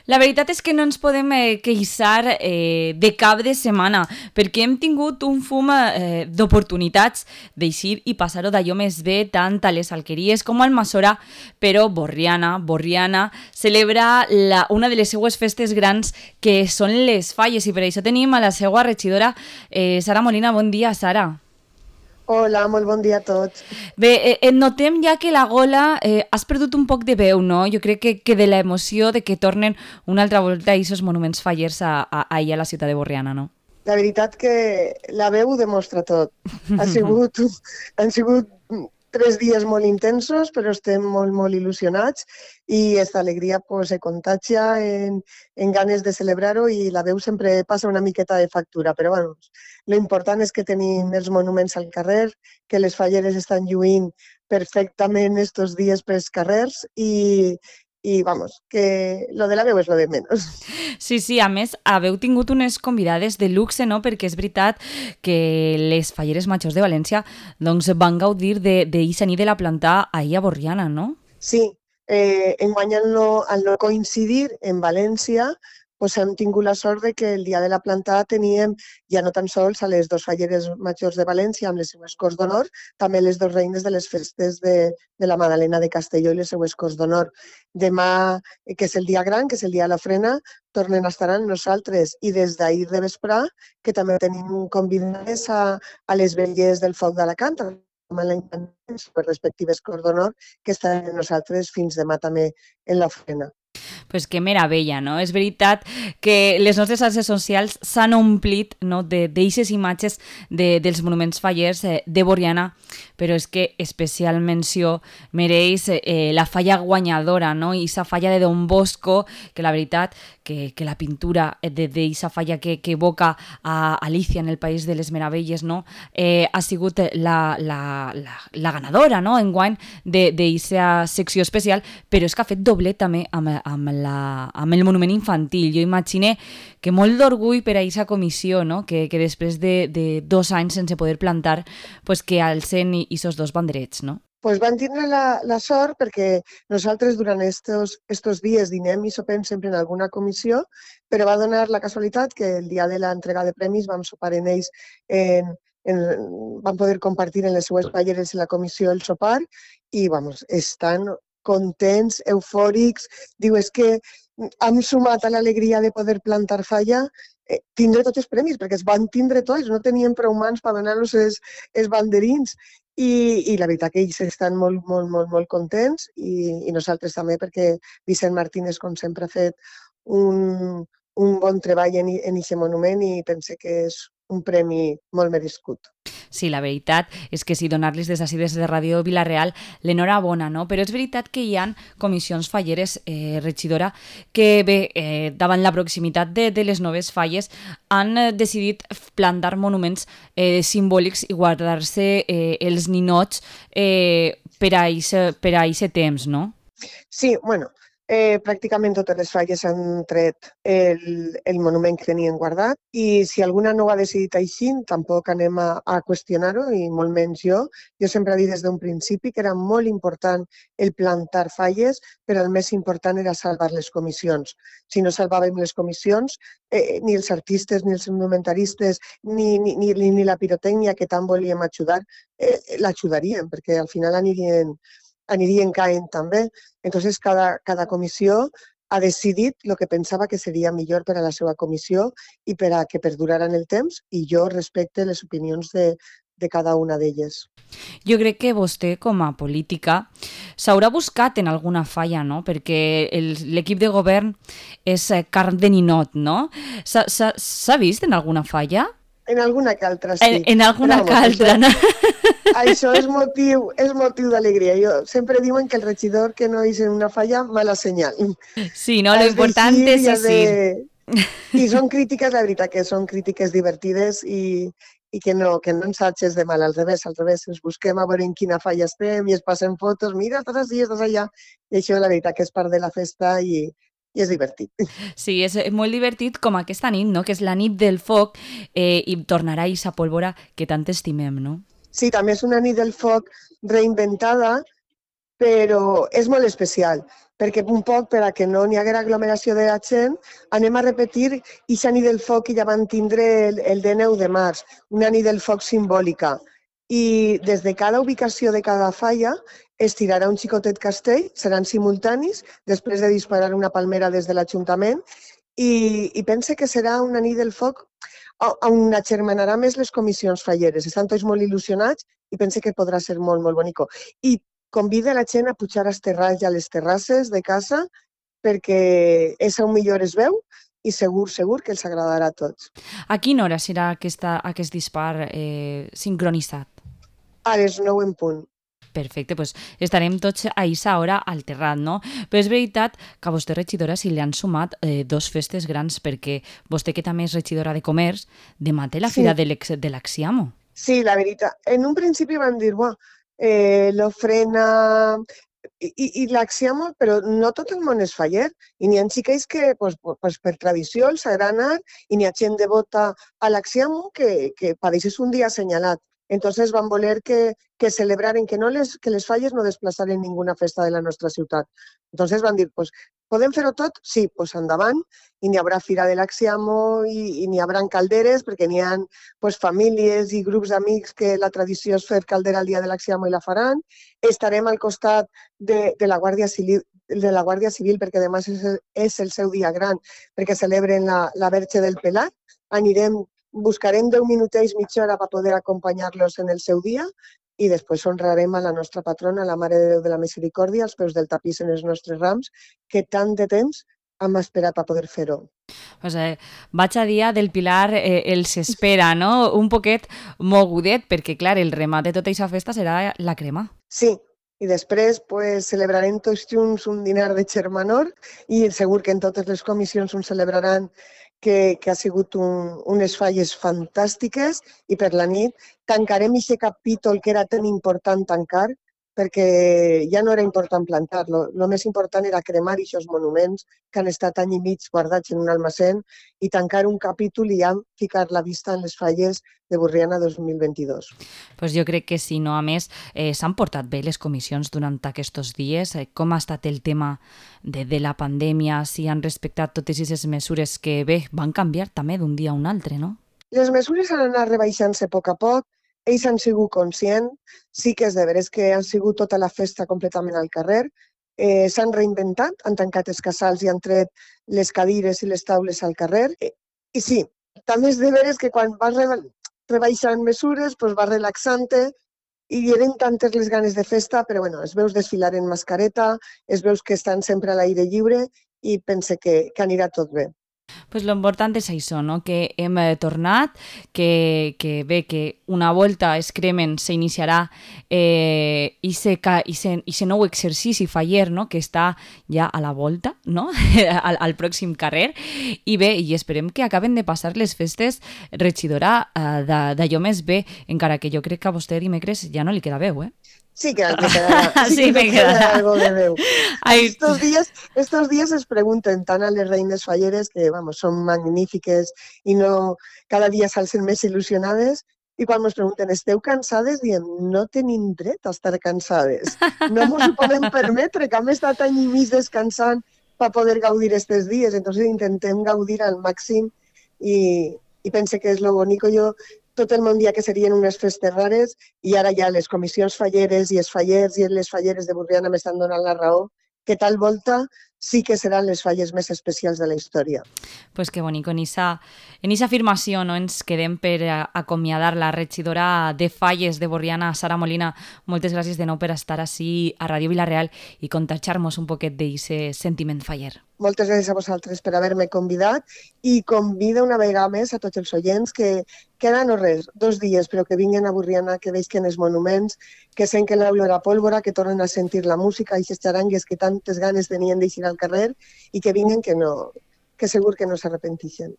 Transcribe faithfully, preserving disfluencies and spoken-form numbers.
La veritat és que no ens podem eh, queixar eh, de cap de setmana, perquè hem tingut un fum eh, d'oportunitats d'eixir i passar-ho d'allò més bé, tant a les alqueries com al Masora, però Borriana, Borriana, celebra la, una de les seues festes grans, que són les falles, i per això tenim a la seva regidora, eh, Sara Molina. Bon dia, Sara. Hola, molt bon dia a tots. Bé, eh, et notem ja que la gola eh, has perdut un poc de veu, no? Jo crec que, que de l'emoció de que tornen una altra volta a aquests monuments fallers a, a, a, a la ciutat de Borriana, no? La veritat que la veu ho demostra tot. Ha sigut, han sigut tres dies molt intensos, però estem molt, molt il·lusionats i aquesta alegria pues, se contagia en, en ganes de celebrar-ho i la veu sempre passa una miqueta de factura, però bueno, lo important és que tenim els monuments al carrer, que les falleres estan lluint perfectament estos dies pels carrers i, i vamos, que lo de la veu és lo de menys. Sí, sí, a més, haveu tingut unes convidades de luxe, no? Perquè és veritat que les falleres majors de València doncs, van gaudir d'eixa nit de la planta ahir a Borriana, no? Sí, eh, enguany al no, al no coincidir en València, pues hem tingut la sort de que el dia de la planta teníem ja no tan sols a les dues falleres majors de València amb les seues Corts d'Honor, també les dues reines de les festes de, de la Madalena de Castelló i les seues Corts d'Honor. Demà, que és el dia gran, que és el dia de la frena, tornen a estar amb nosaltres i des d'ahir de vesprà, que també tenim convidades a, a les velles del Foc d'Alacant, amb l'any per respectives Corts d'Honor, que estaran amb nosaltres fins demà també en la frena. Pues que meravella, no? És veritat que les nostres xarxes socials s'han omplit, no, d'eixes imatges de, dels monuments fallers eh, de Borriana, però és que especial menció mereix eh, la falla guanyadora, no? I aquesta falla de Don Bosco, que la veritat que, que la pintura d'aquesta falla que, que evoca a Alicia en el País de les Meravelles, no? Eh, ha sigut la, la, la, la ganadora, no? Enguany d'aquesta secció especial, però és que ha fet doblet també amb, amb, la, amb el monument infantil. Jo imagine que molt d'orgull per a aquesta comissió, no? que, que després de, de dos anys sense poder plantar, pues que alcen aquests dos banderets, no? Pues van tindre la, la sort perquè nosaltres durant estos, estos dies dinem i sopem sempre en alguna comissió, però va donar la casualitat que el dia de l'entrega de premis vam sopar en ells, en, en, vam poder compartir en les seues falleres en la comissió el sopar i vamos, estan contents, eufòrics, diu, és que hem sumat a l'alegria de poder plantar falla, eh, tindre tots els premis, perquè es van tindre tots, no tenien prou mans per donar-los els, els banderins, i, i la veritat que ells estan molt, molt, molt, molt contents i, i nosaltres també, perquè Vicent Martínez, com sempre, ha fet un, un bon treball en aquest monument i pense que és un premi molt merescut. Sí, la veritat és que sí, donar-los des d'ací, des de Ràdio Vila-real, l'enhorabona, no? Però és veritat que hi ha comissions falleres, eh, regidora, que bé, eh, davant la proximitat de, de les noves falles, han eh, decidit plantar monuments eh, simbòlics i guardar-se eh, els ninots eh, per a aquest temps, no? Sí, bueno, eh, pràcticament totes les falles han tret el, el monument que tenien guardat i si alguna no ho ha decidit així, tampoc anem a, a qüestionar-ho i molt menys jo. Jo sempre he dit des d'un principi que era molt important el plantar falles, però el més important era salvar les comissions. Si no salvàvem les comissions, eh, ni els artistes, ni els monumentaristes, ni, ni, ni, ni la pirotècnia que tant volíem ajudar, eh, l'ajudaríem, perquè al final anirien anirien caent també. Entonces, cada, cada comissió ha decidit el que pensava que seria millor per a la seva comissió i per a que perdurara en el temps i jo respecte les opinions de, de cada una d'elles. Jo crec que vostè, com a política, s'haurà buscat en alguna falla, no? Perquè l'equip de govern és carn de ninot, no? S'ha vist en alguna falla? En alguna que altra, sí. En, en alguna que altra, no? Això és motiu, és motiu d'alegria. Jo sempre diuen que el regidor que no és en una falla, mala senyal. Sí, no? Lo important és eixir. I són crítiques, la veritat, que són crítiques divertides i, i que no, que no ens atxes de mal, al revés, al revés, ens busquem a veure en quina falla estem i es passen fotos, mira, estàs així, estàs allà. I això, la veritat, que és part de la festa i, i és divertit. Sí, és molt divertit com aquesta nit, no? Que és la nit del foc eh, i tornarà a aquesta pólvora que tant estimem, no? Sí, també és una nit del foc reinventada però és molt especial, perquè un poc per a que no n'hi haguera aglomeració de la gent, anem a repetir aquesta nit del foc que ja van tindre el, el dia nou de març, una nit del foc simbòlica. I des de cada ubicació de cada falla es tirarà un xicotet castell, seran simultanis, després de disparar una palmera des de l'Ajuntament, i, i pense que serà una nit del foc on agermanarà més les comissions falleres. Estan tots molt il·lusionats i pense que podrà ser molt, molt bonico. I convida la gent a pujar als terrats i a les terrasses de casa perquè és on millor es veu i segur, segur que els agradarà a tots. A quina hora serà aquesta, aquest dispar eh, sincronitzat? A les nou en punt. Perfecte, doncs estarem tots a aquesta hora al terrat, no? Però és veritat que a vostè, regidora, si li han sumat eh, dos festes grans, perquè vostè, que també és regidora de comerç, demà té la Sí. fira de l'Axiamo. Sí, la veritat. En un principi van dir, buah, eh, l'ofrena i, i, i l'Axiamo, però no tot el món és faller. I n'hi ha xiquets que, pues, pues, per tradició, els agrada anar, i n'hi ha gent devota a l'Axiamo que, que pareix és un dia assenyalat. Entonces van voler que, que celebraren, que, no les, que les falles no desplaçaren ninguna festa de la nostra ciutat. Entonces van dir, pues, podem fer-ho tot? Sí, pues endavant, i n'hi haurà fira de l'Axiamo i, i n'hi haurà calderes, perquè n'hi ha pues, famílies i grups d'amics que la tradició és fer caldera el dia de l'Axiamo i la faran. Estarem al costat de, de la Guàrdia Civil, de la Guàrdia Civil perquè demà és, és el seu dia gran, perquè celebren la, la Verge del Pelat. Anirem buscarem deu minutets, mitja hora per poder acompanyar-los en el seu dia i després honrarem a la nostra patrona, la Mare de Déu de la Misericòrdia, als peus del tapís en els nostres rams, que tant de temps hem esperat per poder fer-ho. Pues, eh, vaig a dia del Pilar eh, els espera, no? Un poquet mogudet, perquè, clar, el remat de tota aquesta festa serà la crema. Sí, i després pues, celebrarem tots junts un dinar de germanor i segur que en totes les comissions un celebraran que, que ha sigut un, unes falles fantàstiques i per la nit tancarem aquest capítol que era tan important tancar perquè ja no era important plantar-lo. El més important era cremar aquests monuments que han estat any i mig guardats en un almacén i tancar un capítol i ja ficar la vista en les falles de Borriana dos mil vint-i-dos. Pues jo crec que sí, no? A més, eh, s'han portat bé les comissions durant aquests dies. Eh, com ha estat el tema de, de la pandèmia? Si han respectat totes aquestes mesures que, bé, van canviar també d'un dia a un altre, no? Les mesures han anat rebaixant-se a poc a poc. Ells han sigut conscients, sí que és de veres que han sigut tota la festa completament al carrer, eh, s'han reinventat, han tancat els casals i han tret les cadires i les taules al carrer. I, i sí, també és de veres que quan vas rebaixant mesures, doncs vas relaxant-te i eren tantes les ganes de festa, però bueno, es veus desfilar en mascareta, es veus que estan sempre a l'aire lliure i pense que, que anirà tot bé. Pues lo important és això, no? Que hem eh, tornat, que, que bé, que una volta es cremen s'iniciarà eh, i se nou exercici faller, no? Que està ja a la volta, no? al, al pròxim carrer, i bé, i esperem que acaben de passar les festes, regidora, eh, d'allò més bé, encara que jo crec que a vostè dimecres ja no li queda veu, eh? Sí que le quedará, sí sí, que me le queda quedará algo de veu. Ay. Estos días, estos días es pregunten tant a les reines falleres, que vamos, són magnífiques i no, cada dia s'alcen més il·lusionades, i quan ens pregunten, esteu cansades? Diem, no tenim dret a estar cansades. No ens ho podem permetre, que hem estat any i mig descansant per poder gaudir aquests dies. Entonces intentem gaudir al màxim i, i pense que és lo bonico. Jo tot el món dia que serien unes festes rares i ara ja les comissions falleres i els fallers i les falleres de Borriana m'estan donant la raó que tal volta sí que seran les falles més especials de la història. Pues que bonic, en esa, en esa afirmació no ens quedem per acomiadar la regidora de falles de Borriana, Sara Molina. Moltes gràcies de nou per estar així a Ràdio Vila-real i contagiar-nos un poquet d'aquest sentiment faller. Moltes gràcies a vosaltres per haver-me convidat i convido una vegada més a tots els oients que queden no res, dos dies, però que vinguin a Borriana, que veisquen els monuments, que senten l'olor a pólvora, que tornen a sentir la música i les xarangues que tantes ganes tenien d'eixir al carrer i que vinguin que, no, que segur que no s'arrepentixen.